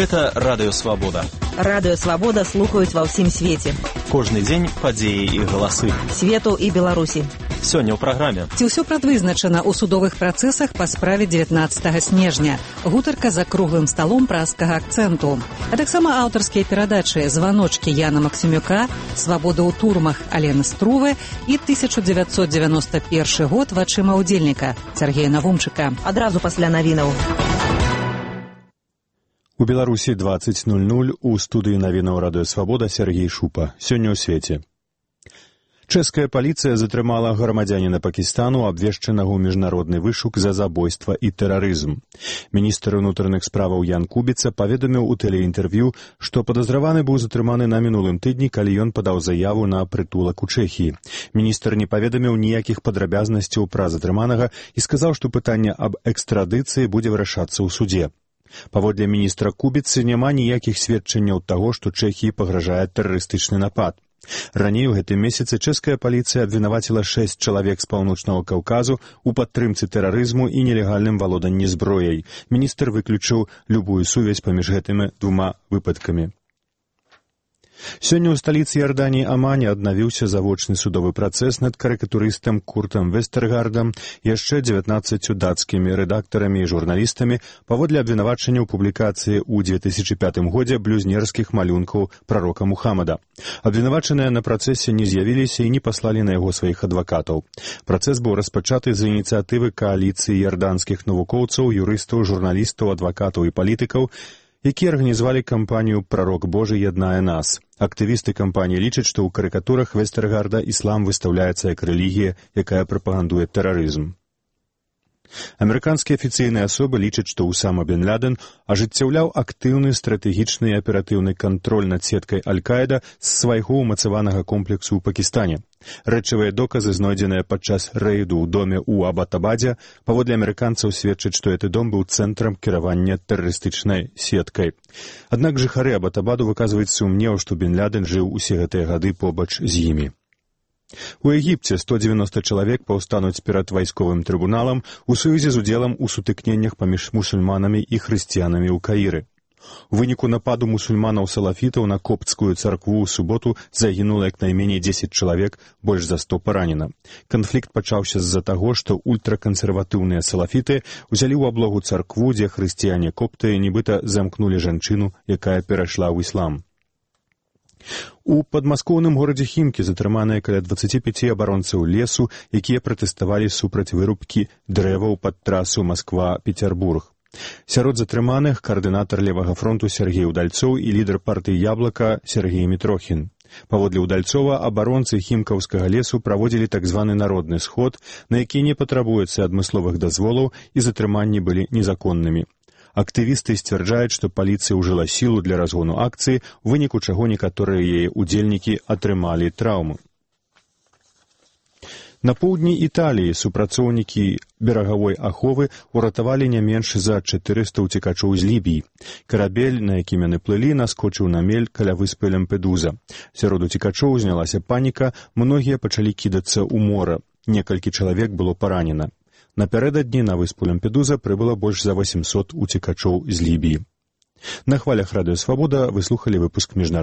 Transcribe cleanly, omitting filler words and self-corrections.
Гэта Радыё Свабода. Радыё Свабода слухаюць ва ўсім свеце. Кожны дзень падзеі і галасы. Свету і Беларусі. Сёння ў праграме. Ці ўсё прадвызначана ў судовых працэсах па справе 19 снежня. Гутарка за круглым сталом празскага акцэнту. А таксама аўтарскія перадачы «Званочкі» Яна Максімюка, «Свабода ў турмах» Алены Струвы і 1991 год вачыма ўдзельніка Сергея Навумчыка. Адразу пасля навінаў. У Беларусі 20:00 у студыі навінаў Радыё Свабода Сергей Шупа. Сёння ў свеце. Чэшская паліцыя затрымала грамадзяніна Пакістану, абвешчанага ў міжнародны вышук за забойства і тэрарызм. Міністр унутраных справаў Ян Кубіца паведаміў у тэлеінтэрв'ю, што падазраваны быў затрыманы на мінулым тыдні, калі ён падаў заяву на прытулак у Чэхіі. Міністр не паведаміў ніякіх падрабязнасцяў пра затрыманага і сказаў, што пытанне аб экстрадыцыі будзе вырашацца ў судзе. Паводле міністра Кубіцы няма ніякіх сведчанняў таго, што Чэхіі пагражае тэрарыстычны напад. Раней у гэтым месяцы чэшская паліцыя абвінаваціла 6 чалавек з паўночнага Каўказу ў падтрымцы тэрарызму і нелегальным валоданні зброяй. Міністр выключыў любую сувязь паміж гэтымі двума выпадкамі. Сёння ў сталіцы Іорданіі Амане аднавіўся завочны судовы працэс над карыкатурыстам Куртам Вестергардам і яшчэ 19 дацкімі рэдактарамі і журналістамі паводле абвінавачання ў публікацыі ў 2005 годзе блюзнерскіх малюнкаў прарока Мухаммада. Абвінавачаныя на працэсе не з'явіліся і не паслалі на яго сваіх адвакатаў. Працэс быў распачаты з ініцыятывы кааліцыі іорданскіх навукоўцаў, юрыстаў, журналістаў, адвакатаў і палітыкаў, якія арганізавалі кампанію «Прарок Божы яднае нас». Актывісты кампаніі лічаць, што ў карыкатурах Вестергарда іслам выстаўляецца як рэлігія, якая прапагандуе тэрарызм. Амерыканскія афіцыйныя асобы лічаць, што Усама бен Ладен ажыццяўляў актыўны стратэгічны і аператыўны кантроль над сеткай Аль-Каіда з свайго ўмацаванага комплексу ў Пакістане. Рэчавыя доказы, знойдзеныя падчас рэйду ў доме ў Абатабадзе, паводле амерыканцаў сведчаць, што гэты дом быў цэнтрам кіравання тэрарыстычнай сеткай. Аднак жыхары Абатабаду выказваюць сумнеў, што бен Ладен жыў усе гэтыя гады побач з імі. У Егіпце 190 чалавек паўстануць перад вайсковым трыбуналам у сувязі з удзелам у сутыкненнях паміж мусульманамі і хрысціянамі ў Каіры. У выніку нападу мусульманаў-салафітаў на копцкую царкву ў суботу загінула як найменей 10 чалавек, больш за 100 паранена. Канфлікт пачаўся з-за таго, што ультракансерватыўныя салафіты ўзялі ў аблогу царкву, дзе хрысціяне-копты нібыта замкнулі жанчыну, якая перайшла ў іслам. У падмаскоўным горадзе Хімкі затрыманыя каля 25 абаронцаў лесу, якія пратэставалі супраць вырубкі дрэваў пад трасу Масква-Пецярбург. Сярод затрыманых каардынатар левага фронту Сергей Удальцоў і лідар партыі «Яблака» Сергей Мітрохін. Паводле Удальцова, абаронцы хімкаўскага лесу праводзілі так званы народны сход, на які не патрабуецца адмысловых дазволаў і затрыманні былі незаконнымі. Актывісты сцвярджаюць, што паліцыя ўжыла сілу для разгону акцыі, у выніку чаго некаторыя яе ўдзельнікі атрымалі траўмы. На поўдні Італіі супрацоўнікі берагавой аховы уратавалі не менш за 400 уцекачоў з Лібіі. Карабель, на якім яны плылі, наскочыў на мель каля выспы Лямпедуза. Сярод уцекачоў узнялася паніка, многія пачалі кідацца ў мора. Некалькі чалавек было паранена. Напярэдадні на выспу Лямпедуза прыбыла больш за 800 уцекачоў з Лібіі. На хвалях Радыё Свабода вы слухалі выпуск міжнародных